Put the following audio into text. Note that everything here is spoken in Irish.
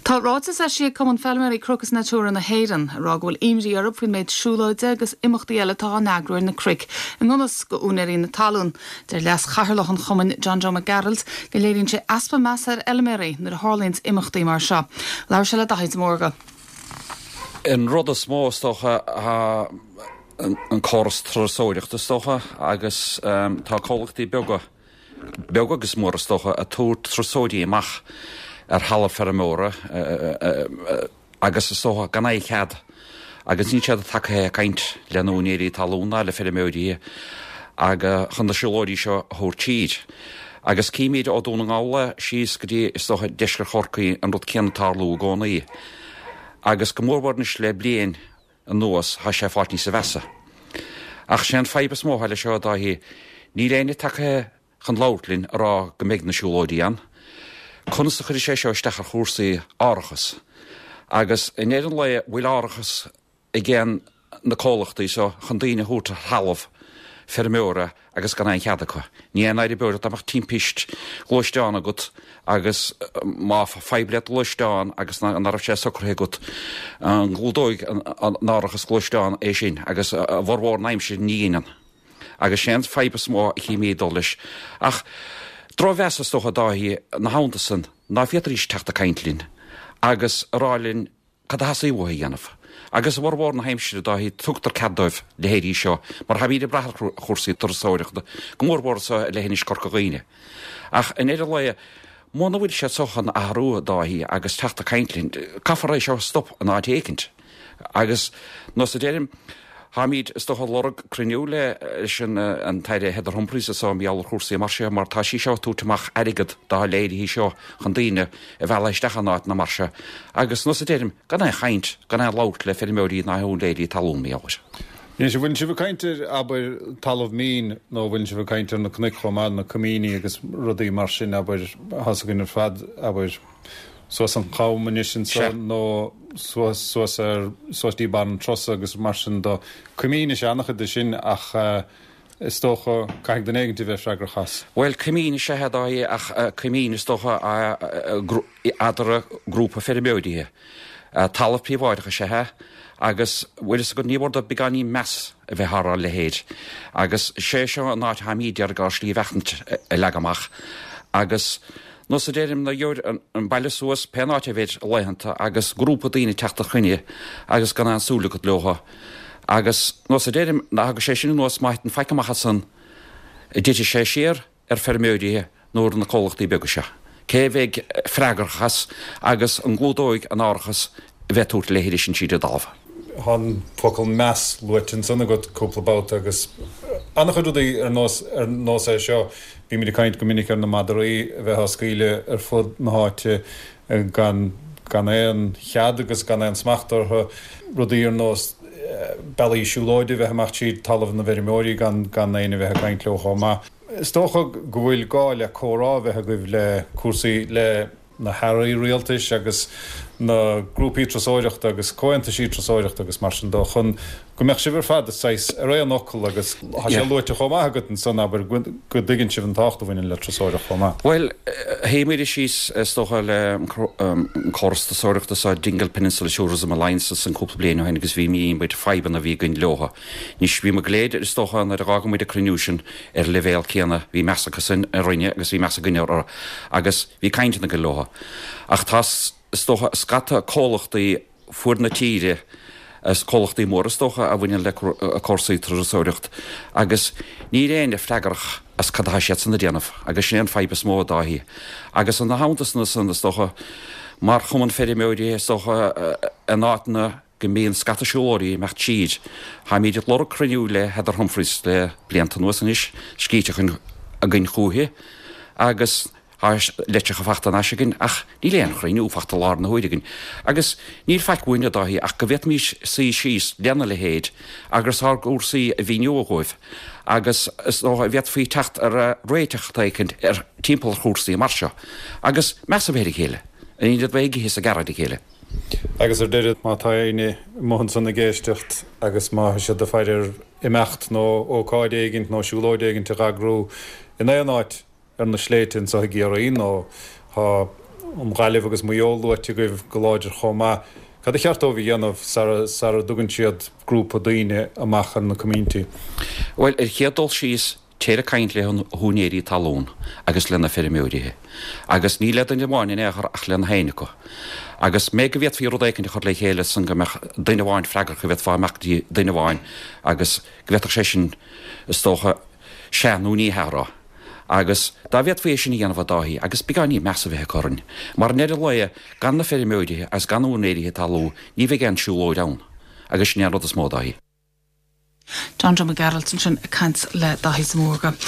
Tá ráiteas eisithe ag Cumann Feilméaraí Cnoc is Natura na hÉireann ag rá go bhfuil imní orthu faoin méid siúlóide agus imeachtaí eile atá á n-eagrú ar na cnoic i ngan fhios go úinéirí na talún. Deir Leas-Chathaoirleach an chumainn, John Joe Mac Gearailt, go léiríonn sé easpa measa ar fheilméaraí nuair a tharlaíonns imeachtaí mar seo. Labhair sé le Daithí de Mórdha. An rud is mó is dócha tá an córas turasóireachta is dócha agus tá comhlachtaí beaga, beag agus mór is dócha, ag tabhairt turasóirí amach ar thalamh feirmeora agus is dócha gan aon chead agus níl siad tagtha ag caint le na úinéirí talún ná le feirmeoirí agus chun na siúlóirí seo a thabhairt tríd. Agus címid ó Dún na nGall síos go dtí is dócha deisceart Chorcaí an rud céanna ag tarlú i gcónaí agus go mórmhór anois le bliain anuas tá sé ag fáilt níosa mheasa. Ach sé an fadhb is mó atá leis seo a Dáithí, níl éinne tagtha chun labhairt linn a rá go mbeidh na siúlóidí ann. Conas a chuirfidh sé seo isteach ar chúrsaí árachas? Agus i ndeireadh an lae, bhfuil árachas ag aon na comhlachtaí seo chun daoine a thabhairt ar thalamh feirmeora agus gan aon chead acu. Ní aon náire beo dá mbeadh timpist gluaisteáin agat agus má fadhb le do ghluaisteán agus ná raibh sé socraithe agat, an gclúdóidh an árachas gluaisteán é sin agus a bhformhór na haimsire ní dheineann. Agus sé an fadhb is mó a chímíd ag dul leis. Ach drochmheas is dócha Dáithí ina theannta san ná féadfaidís teacht ag caint linn agus a rá linn Cad a theastaíonn uathu a dhéanamh? Agus i bhformhór na haimsire, Dáithí, tugtar cead dóibh leithéidí seo, mar táimid ag brath ar chúrsaí turasóireachta, go mórmhór anso i leithinis Corca Dhuibhne. Ach i ndeireadh lae, muna bhfuil siad so chun athrú, a Dáithí, agus teacht ag caint linn, caithfear é seo a stop in áit éicint. Agus, nós a deirim, Táimid, is dócha, ag lorg cruinniú leis an tAire Heather Humphreys anso mar gheall ar chúrsaí mar seo mar tá sí seo ag tabhairt amach airgead dá leithéidí seo chun daoine a mhealladh isteach in áiteanna mar seo agus, nós a deirim, gan aon chaint, gan aon labhairt le feirmeoirí ná úinéirí talún mar gheall air. Anois, an bhfuileann sibh ag caint ar, abair, talamh mín nó an bhfuileann sibh ag caint ar na cnoic chomh maith, na coimíní agus rudaí mar sin, abair, tá's againn ar fad, abair, suas an Cham anois anso nó suas suas ar suas dtí barr an Trosa agus mar sin de. Coimín is ea an-chuid de sin ach is dócha caithfidh duine éigint a bheith freagrach as. Bhuel, coimín is ea a Dháithí ach coimín is dócha eadar grúpa feirmeoirí. Talamh príobháideach is ea é agus bhfuil fhios agat ní mór dóibh beagáinín meas a bheith ar a leithéid agus sé seo an áit atáimid d'iarraidh ár slí bheachtaint a leagadh amach agus Nós a deirim nuair gheobhair an baile suas pén áit a bheid laethanta agus grúpa daoine teacht ar chruinniú agus gan aon súil agat leotha agus nós a deirim ná thagadh sé sin anuas má thiteann faic amach as san dtitfidh sé siar ar feirmeoirí nó ar na comhlachtaí beaga seo. Cé a bheidh freagrach as agus an gclúdóidh an árachas a bheith ag tabhairt a leithéide sin tríd an dtalamh. Tá an focal meas luaite ansan agat cúpla babhta agus an-chuid rudaí ar nós ar nós é seo. Bímid ag caint go minic ar na madraí a bheith á scaoileadh ar fud na háite gan gan aon chead agus gan aon smacht orthu, rudaí ar nós bealaí siúlóide a bheith amach tríd talamh na bhfeirmeoirí gan gan éinne a bheith ag caint leo chomh maith. Is dócha go bhfuil gá le comhrá a bheith agaibh le cúrsaí le na hairí rialtais agus na grúpaí turasóireachta agus comhaontaisí turasóireachta agus mar sin dó chun go mbeadh sibh ar fad saghas ar aon fhocal agus tá sé luaite chomh maith agat ansan, abair, go dtuigeann sibh an tábhacht a bhaineann le turasóireacht chomh maith. Bhuel, shuigh muid síos is dócha le an córas turasóireachta seo, Dingle Peninsula Tourism Alliance ansan cúpla bliain ó shin agus mhínigh muid fadhbanna a bhí againn leotha. Anois, bhí muid go léir is dócha nuair a dh'fhága muid an cruinniú sin ar an leibhéal céanna, bhí meas acu sin orainne agus bhí meas againne orthu agus, Bhí cainteanna againn leo. Ach tá, is dócha, scata comhlachtaí fuaid na tíre, is comhlachtaí móra is dócha, a bhaineann le cúrsaí turasóireacht agus níl éinne freagrach as cad atá siadsan a déanamh agus sin é an fadhb is mó, a Dáithí. Agus ina theannta san, is dócha, mar chumann feirmeoirí, is dócha, in áiteanna go mbíonn scata siúlóirí ag imeacht tríd. Táimid ag lorg cruinniú le Heather Humphreys le blianta anuas anois, scríte againn chúichi agus tá litreacha fachta anois againn ach níl aon chruinniú fachta i láthair na huaire againn. Agus níl faic uainn, a Dáithí, ach go bhféadfaimis suí síos lena leithéid agus ár gcúrsaí a mhíniú dhóibh agus is dócha bhféadfaí teacht ar réiteach éicint ar timpeall ar chúrsaí mar seo agus meas a bheith ar a chéile, in ionad bheith ag ithe is ag gearradh ar a chéile. Agus ar deireadh, má tá éinne amuigh ansan ag éisteacht agus má tá siad ag faire ar imeacht nó ócáid éigint nó siúlóid éigint a dh'eagrú in aon áit ar na sléibhte anso i gCiarraí nó tá. An Ghaillimh agus Maigh Eo luaite agaibh go láidir chomh maith. Cad a cheart dóibh a dhéanamh sara sara dtugann siad grúpa daoine amach ar na coimíntí? Bhuel, ar chéad dul síos, téir ag caint le húinéirí talún agus le na feirmeoirithe. Agus ní le duine amháin in aon chor ach le nach éinne acu. Agus mé go bhféadfaí rud éicint a chur le chéile san go mbeadh duine amháin freagrach, go bhféadfá imeacht go dtí duine amháin agus go bhféadfadh sé sin, is dócha, sea nó ní hea a rá. Agus dá bhféadfaí é sin a dhéanamh a Dáithí, agus beagáinín meas a bheith acu orainn, mar i ndeireadh lae, gan na feirmeoirithe agus gan úinéirithe talún, ní bheidh aon siúlóid ann. Agus sin é an rud is mó, a Dáithí. John Joe Mac Gearailt ansin ag caint le Dáithí de Mórdha.